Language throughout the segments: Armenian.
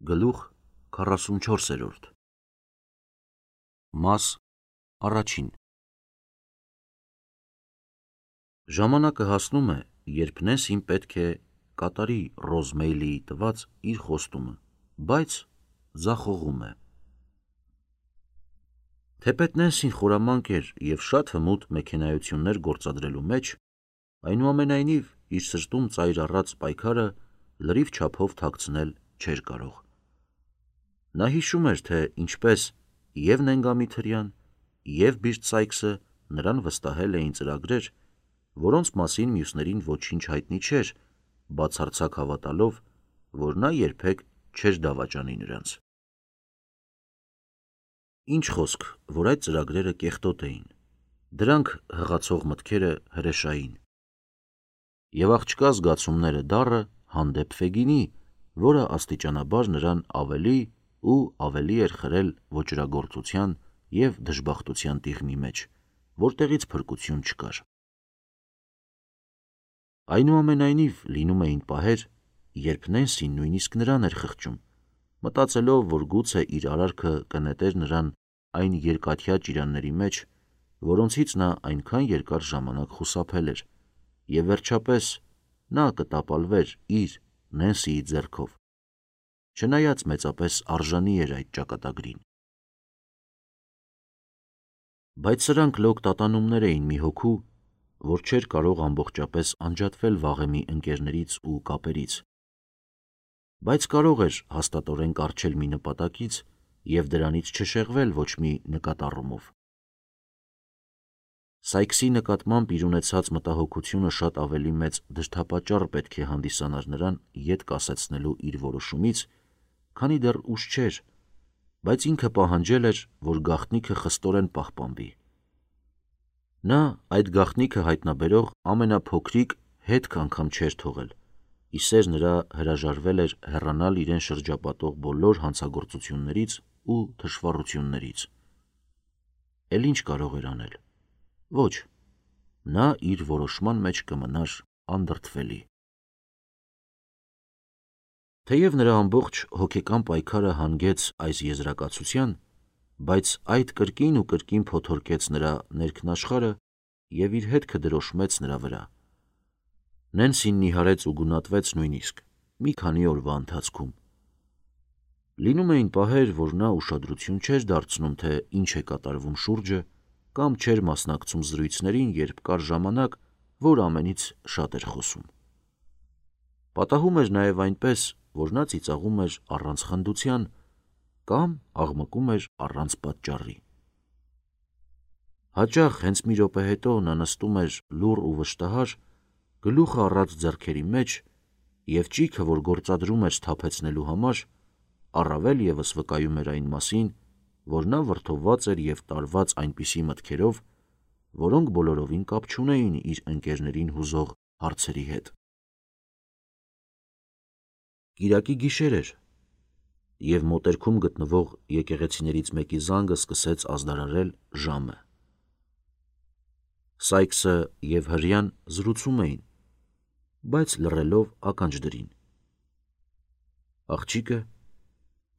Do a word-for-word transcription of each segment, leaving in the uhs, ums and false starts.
Գլուխ քառասունչորսերորդ Մաս առաջին Ժամանակը հասնում է, երբ Նենսին պետք է կատարի Ռոզմեյլիի տված իր խոստումը, բայց ձախողում է։ Թեպետ Նենսին խորամանկ էր և շատ հմուտ մեքենայություններ գործադրելու մեջ, այնուամենայնիվ իր սրտում ծայր առած պայքարը լրիվ չափով թաքցնել չէր կարող։ Նա հիշում էր, թե ինչպես և Նենգամիթրյան, և Բիրտ Սայքսը նրան վստահել էին ծրագրեր, որոնց մասին մյուսներին ոչինչ հայտնի չէր, բացարձակ հավատալով, որ նա երբեք չէր դավաճանի նրանց։ Ինչ խոսք, որ այդ ծրագրերը կեղտոտ էին, դրանք հղացող մտքերը հրեշային։ Եվ աղջկա զգացումները դառը հանդեպ Ֆեգինի, որը աստիճանաբար նրան ավելի ու ավելի էր խրել ոճրագործության և դժբախտության տիղմի մեջ, որտեղից փրկություն չկար։ Այնուամենայնիվ լինում էին պահեր, երբ Նենսին նույնիսկ նրան էր խղճում, մտածելով, որ գուցե իր արարքը կնետեր նրան այն երկաթյա ճիրանների մեջ, որոնցից նա այնքան երկար ժամանակ խուսափել էր, և վերջապես նա կտապալվեր իր Նենսիի ձեռքով, չնայած մեծապես արժանի էր այդ ճակատագրին։ Բայց սրանք լոկ տատանումներ էին մի հոգու, որ չէր կարող ամբողջապես անջատվել վաղեմի ընկերներից ու կապերից, բայց կարող էր հաստատորեն կառչել մի նպատակից և դրանից չշեղվել ոչ մի նկատառումով։ Սայքսի նկատմամբ իր ունեցած մտահոգությունը շատ ավելի մեծ դրդապատճառ պետք է հանդիսանար նրան ետ կասեցնելու իր որոշումից, քանի դեռ ուշ չէր, բայց ինքը պահանջել էր, որ գաղտնիքը խստորեն պահպանվի։ Նա այդ գաղտնիքը հայտնաբերող ամենափոքրիկ հետք անգամ չէր թողել, ի սեր նրա հրաժարվել էր հեռանալ իրեն շրջապատող բոլոր հանցագործություններից ու թշվառություններից։ Էլ ինչ կարող էր անել։ Ոչ, նա իր որոշման մեջ կմնար անդրդվելի։ Թեև նրա ամբողջ հոգեկան պայքարը հանգեց այս եզրակացության, բայց այդ կրկին ու կրկին փոթորկեց նրա ներքնաշխարհը և իր հետքը դրոշմեց նրա վրա։ Նենսին նիհարեց ու գունատվեց նույնիսկ մի քանի օրվա ընթացքում։ Լինում էին պահեր, որ նա ուշադրություն չէր դարձնում, թե ինչ է կատարվում շուրջը, կամ չէր մասնակցում զրույցներին, երբ կար ժամանակ, որ ամենից շատ էր խոսում։ Պատահում էր նաև այնպես, որ նա ծիծաղում էր առանց խնդության կամ աղմկում էր առանց պատճառի։ Հաճախ հենց մի րոպե հետո նա նստում էր լուռ ու վշտահար, գլուխը առած ձեռքերի մեջ, և ճիգը, որ գործադրում էր սթափեցնելու համար, առավել ևս վկայում էր այն մասին, որ նա վրդովված էր և տարված այնպիսի մտքերով, որոնք բոլորովին կապ չունեին իր ընկերներին հուզող հարցերի հետ։ Կիրակի գիշեր էր, և մոտերքում գտնվող եկեղեցիներից մեկի զանգը սկսեց ազդարարել ժամը։ Սայքսը և հրեան զրուցում էին, բայց լռելով ականջ դրին։ Աղջիկը,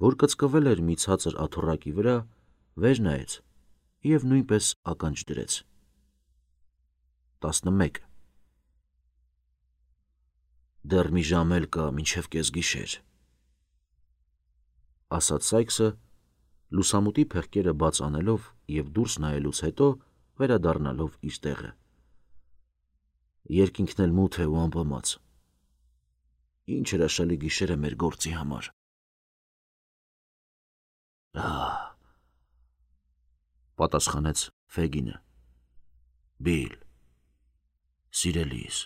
որ կծկվել էր մի ցածր աթոռակի վրա, վեր նայեց և նույնպես ականջ դրեց։ տասնմեկ Դեռ մի ժամ էլ կա, մինչև կեսգիշեր, ասաց Սայքսը, լուսամուտի փեղկերը բաց անելով և դուրս նայելուց հետո վերադառնալով իր տեղը։ Երկինքն էլ մութ է ու ամպամած։ Ինչ հրաշալի գիշեր է մեր գործի համար։ Ահ, պատասխանեց Ֆեգինը։ Բիլ, սիրելիս,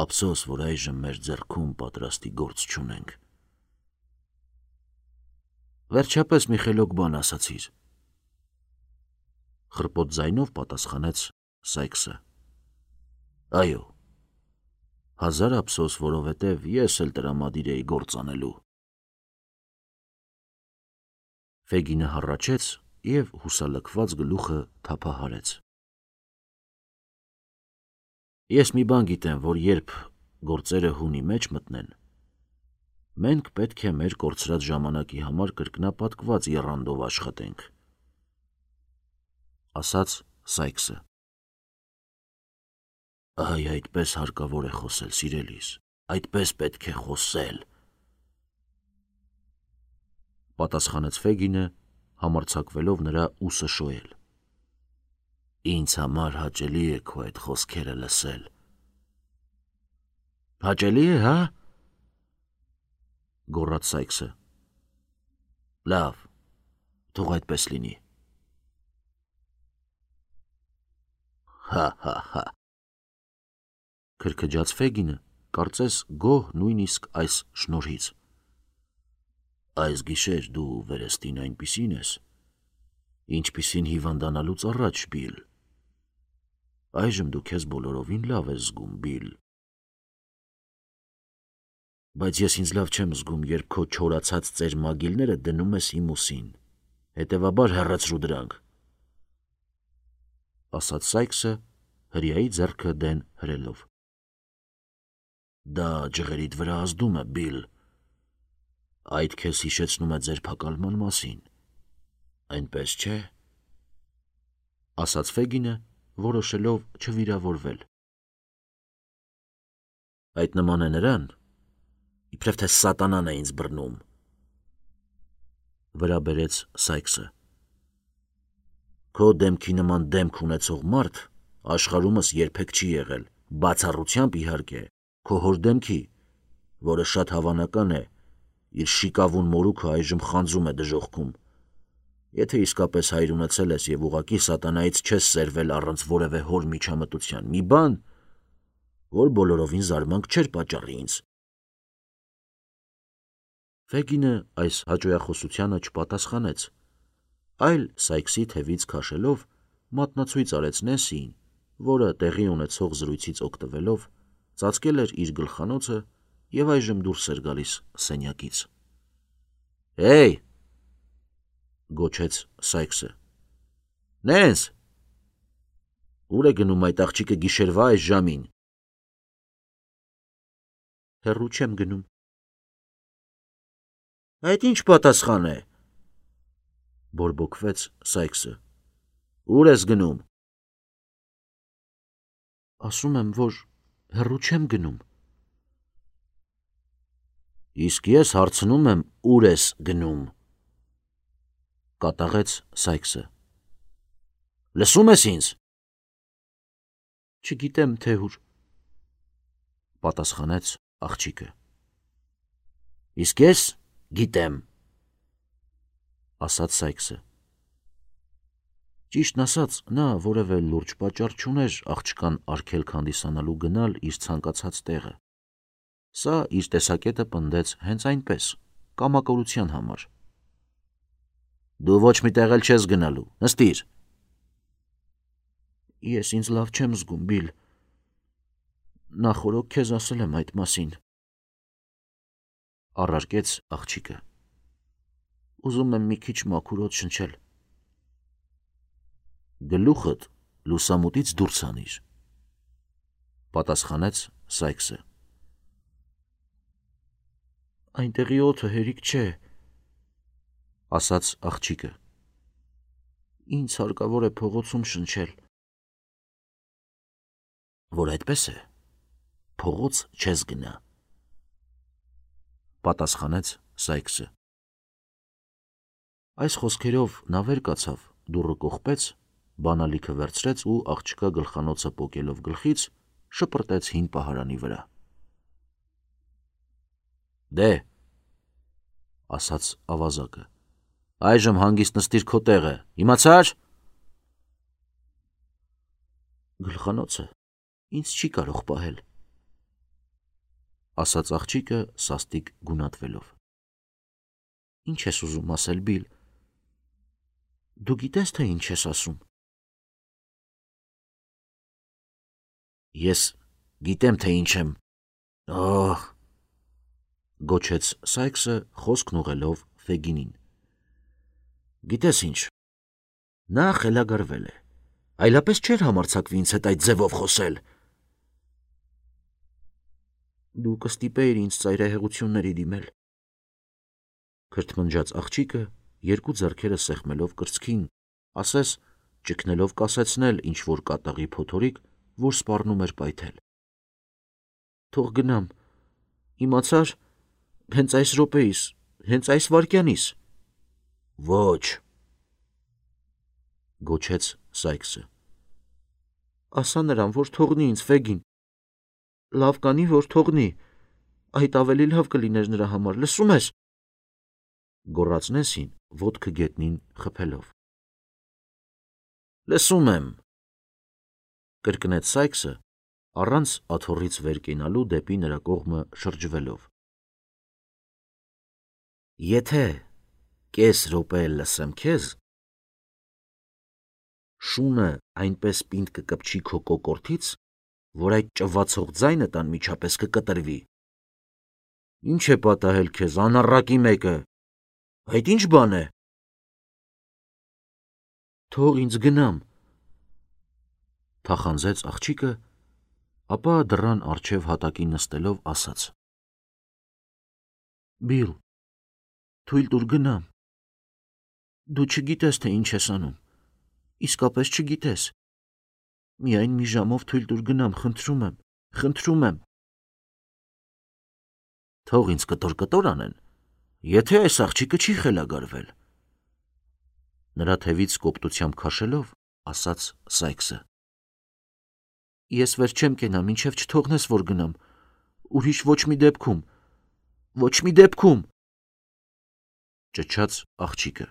ափսոս, որ այժմ մեր ձեռքում պատրաստի գործ չունենք։ Վերջապես մի խելոք բան ասացիր, խռպոտ ձայնով պատասխանեց Սայքսը։ Այո, հազար ափսոս, որովհետև ես էլ տրամադիր էի գործ անելու։ Ֆեգինը հառաչեց և հուսալքված գլուխը թափահարեց։ Ես մի բան գիտեմ, որ երբ գործերը հունի մեջ մտնեն, Մենք պետք է մեր կորցրած ժամանակի համար կրկնապատկված եռանդով աշխատենք, ասաց Սայքսը։ Այ այդպես հարկավոր է խոսել, սիրելիս, այդպես պետք է խոսել, պատասխանեց Ֆեգինը, համարձակվելով նրա ուսը շոյել։ Ինձ համար հաճելի է քո այդ խոսքերը լսել։ Հաճելի է, հա՞։ Գոռաց Սայքսը։ Լավ, թող այդպես լինի։ Հա հա հա։ Քրքջաց Ֆեգինը, կարծես գոհ նույնիսկ այս շնորհից։ Այս գիշեր դու վերստին այնպիսին ես, ինչպիսին հիվանդանալուց առաջ, Բիլ։ Այժմ դու քեզ բոլորովին լավ ես զգում, Բիլ։ Բայց ես ինձ լավ չեմ զգում, երբ քո չորացած ծեր մագիլները դնում ես իմ ուսին, հետևաբար հեռացրու դրանք, ասաց Սայքսը, հրեայի ձեռքը դեն հրելով։ Դա ջղերիդ վրա ազդում է, Բիլ։ Այդ քեզ հիշեցնում է ձերբակալման մասին, այնպես չէ, ասաց Ֆեգինը, որոշելով չվիրավորվել։ Այդ նման է նրան, իբրև թե սատանան է ինձ բռնում, վրա բերեց Սայքսը։ Քո դեմքի նման դեմք ունեցող մարդ աշխարհումս երբեք չի եղել, բացառությամբ իհարկե, քո հոր դեմքի, որը շատ հավանական է, իր շիկավուն մորուքը այժմ խանձում է դժոխքում։ Եթե իսկապես հայր ունեցել ես եւ ուղղակի սատանայից չես սերվել առանց որևէ հոր միջամտության, մի բան, որ բոլորովին զարմանք չէր պատճառի ինձ։ Ֆեգինը այս հաճոյախոսությանը չպատասխանեց, այլ Սայքսի թևից քաշելով մատնացույց արեց Նեսիին, որը տեղի ունեցող զրույցից օգտվելով ծածկել էր իր գլխանոցը եւ այժմ դուրս էր գալիս սենյակից։ Հեյ, գոչեց Սայքսը։ Նենս, ուր է գնում այդ աղջիկը գիշերվա այս ժամին։ Հեռու չեմ գնում։ Այդ ինչ պատասխան է, բորբոքվեց Սայքսը։ Ուր ես գնում։ Ասում եմ, որ հեռու չեմ գնում։ Իսկ ես հարցնում եմ, ուր ես գնում, կատաղեց Սայքսը։ Լսում ես ինձ։ Չգիտեմ, թե ուր, պատասխանեց աղջիկը։ Իսկ ես գիտեմ, ասաց Սայքսը։ Ճիշտն ասած, նա որևէ լուրջ պատճառ չուներ աղջկան արգելք հանդիսանալու գնալ իր ցանկացած տեղը։ Սա իր տեսակետը պնդեց հենց այնպես, կամակորության համար։ Դու ոչ մի տեղ էլ չես գնալու, նստիր։ Ես ինձ լավ չեմ զգում, Բիլ։ Նախորոք քեզ ասել եմ այդ մասին, առարկեց աղջիկը։ Ուզում եմ մի քիչ մաքուր օդ շնչել։ Գլուխդ լուսամուտից դուրս անիր, պատասխանեց Սայքսը։ Այնտեղի օդը հերիք չէ, ասաց աղջիկը։ Ինձ հարկավոր է փողոցում շնչել։ Որ այդպես է, փողոց չես գնա, պատասխանեց Սայքսը։ Այս խոսքերով նա վեր կացավ, դուռը կողպեց, բանալիքը վերցրեց ու աղջկա գլխանոցը պոկելով գլխից շպրտեց հին պահարանի վրա։ Դե, ասաց ավազակը, այժմ հանգիստ նստիր քո տեղը, իմացար։ Գլխանոցը ինձ չի կարող պահել, ասաց աղջիկը սաստիկ գունատվելով։ Ինչ ես ուզում ասել, Բիլ։ Դու գիտես, թե ինչ ես ասում։ Ես գիտեմ, թե ինչ եմ։ Օհ, գոչեց Սայքսը, խոսքն ուղղելով Ֆեգինին։ Գիտես ինչ, նա խելագարվել է, այլապես չէր համարձակվի ինձ հետ այդ ձևով խոսել։ Դու կստիպեիր ինձ ծայրահեղությունների դիմել, Քրթմնջաց աղջիկը երկու ձեռքերը սեղմելով կրծքին, ասես ճգնելով կասեցնել ինչ-որ կատաղի փոթորիկ, որ սպառնում էր պայթել։ Թող գնամ, իմացար, հենց այս րոպեիս, հենց այս վայրկյանիս։ Ոչ, գոչեց Սայքսը։ Ասա նրան, որ թողնի ինձ, Ֆեգին։ Լավ կանի, որ թողնի, այդ ավելի լավ կլիներ նրա համար, լսում ես։ Գոռաց Նեսին, ոտքը գետնին խփելով։ Լսում եմ, կրկնեց Սայքսը, առանց աթոռից վեր կենալու դեպի նրա կողմը շրջվելով։ Եթե կես րոպե լսեմ քեզ, շունը այնպես պինդ կկպչի քո կոկորդից, որ այդ ճվացող ձայնը տան միջապես կկտրվի։ Ինչ է պատահել քեզ, անառակի մեկը, այդ ինչ բան է։ Թող ինձ գնամ, թախանձեց աղջիկը, ապա դռան առջև հատակին նստելով ասաց. Բիլ, թույլ տուր գնամ։ Դու չգիտես, թե ինչ ես անում, իսկապես չգիտես։ Միայն մի ժամով թույլ տուր գնամ, խնդրում եմ, խնդրում եմ։ Թող ինձ կտոր-կտոր անեն, եթե այս աղջիկը չի խելագարվել։ Նրա թևից կոպտությամբ քաշելով, ասաց Սայքսը. Ես վեր չեմ կենա, մինչև չթողնես, որ գնամ, ուրիշ ոչ մի դեպքում, ոչ մի դեպքում, ճչաց աղջիկը։